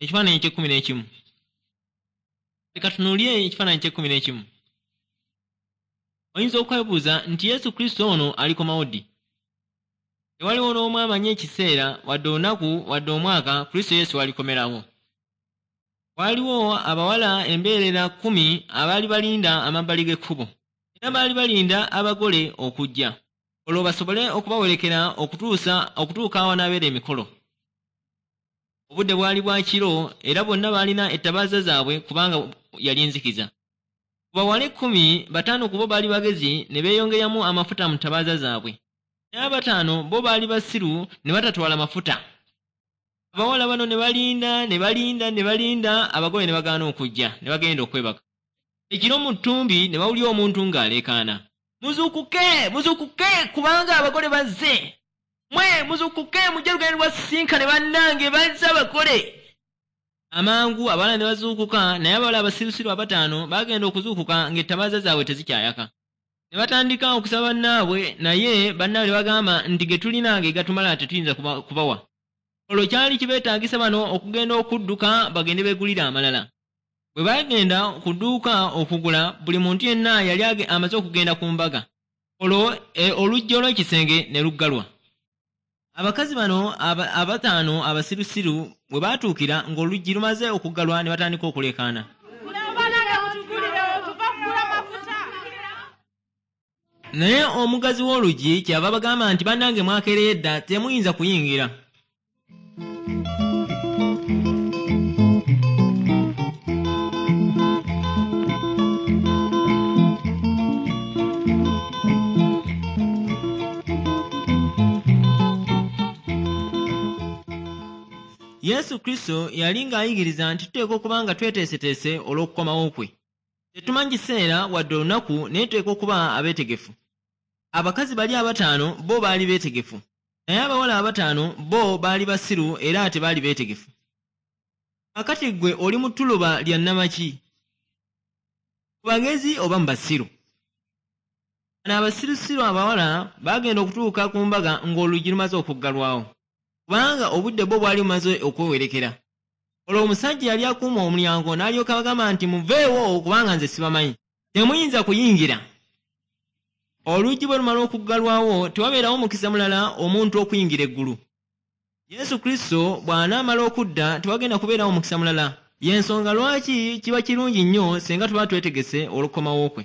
Ekifaananyi eky'ekkumi n'ekimu. Leka tunuulye ekifaananyi ky'ekkumi n'ekimu. Oyinza okwebuuza nti Yesu Kristo ono alikomawo ddi? Tewaliwo n'omu amanyi ekiseera, wadde olunaku, wadde omwaka Kristo Yesu alikomerawo. Waaliwo abawala embeerera 10 abaali balinda amabbali g'ekkubo, era baali balinda abagole okujja, olwo basobole okubawerekera okutuusa okutuuka awanaabeera emikolo. Obudde bwali bwa kiro, era bonna baalina ettabaaza zaabwe kubanga yali nzikiza. Ku bawala 10, bataano ku bo baali bagezi ne beeyongeramu amafuta mu ttabaaza zaabwe. Naye abataano bo baali basiru ne batatwala mafuta. Abawala bano ne balinda, ne balinda, ne balinda, abagole ne bagaana okujja, ne bagenda okwebaka. Ekiro mu ttumbi ne bawulira omuntu ng'aleekaana, "Muzuukuke, muzuukuke, kubanga abagole bazze! Mwe muzuukuke, mujje lugendo lwasisinkane bannange, bazze abagole!" Amangu abawala ne bazuukuka, naye abawala abasirusiru abataano baagenda okuzuukuka ng'ettabaaza zaabwe tezikyayaka. Ne batandika okusaba bannaabwe, naye bannaabwe ne bagamba nti, "Ge tulina ge gatumala, tetuyinza kubawa." Olwo kyali kibeetaagisa bano okugenda okudduka bagende beegulire amalala. Bwe baagenda ku dduuka okugula, buli muntu yenna yali amaze okugenda ku mbaga. Olwo oluggi olw'ekisenge ne luggalwa. Abakazi bano abataano abasirusiru bwe baatuukira ng'oluggi lumaze okuggalwa, ne batandika okuleekaana. Banange, mutugulirewo, tuva kugula mafuta. Naye omugazi w'oluggi kyava bagamba nti, "Bannange, mwakeereye dda, temuyinza kuyingira." Yesu Kristo yali ng'ayigiriza nti tuteekwa okuba nga tweteeseteese olw'okukomawo kwe. Tetumanyi kiseera wadde olunaku, naye tuteekwa okuba abeetegefu. Abakazi bali abataano bo baali beetegefu, naye abawala abataano bo baali basiru era tebaali beetegefu. Kaakati ggwe oli mu ttuluba lya nnamaki? Mu bagezi oba mu basiru? Bano abasirusiru abawala baagenda okutuuka ku mbaga ng'oluggi lumaze okuggalwawo, kubanga obudde bwo bwali bumaze okwewerekera. Olwo omusajja yali akuuma omulyango n'alyoka abagamba nti, "Muveewo, kubanga nze sibamanyi, temuyinza kuyingira." Oluggi bwe lumala okuggalwawo, tewabeerawo mukisa mulala omuntu okuyingira eggulu. Yesu Kristo bw'anaamala okudda, tewagenda kubeerawo mukisa mulala. Y'ensonga lwaki kiba kirungi nnyo singa tuba twetegese olw'okukomawo kwe.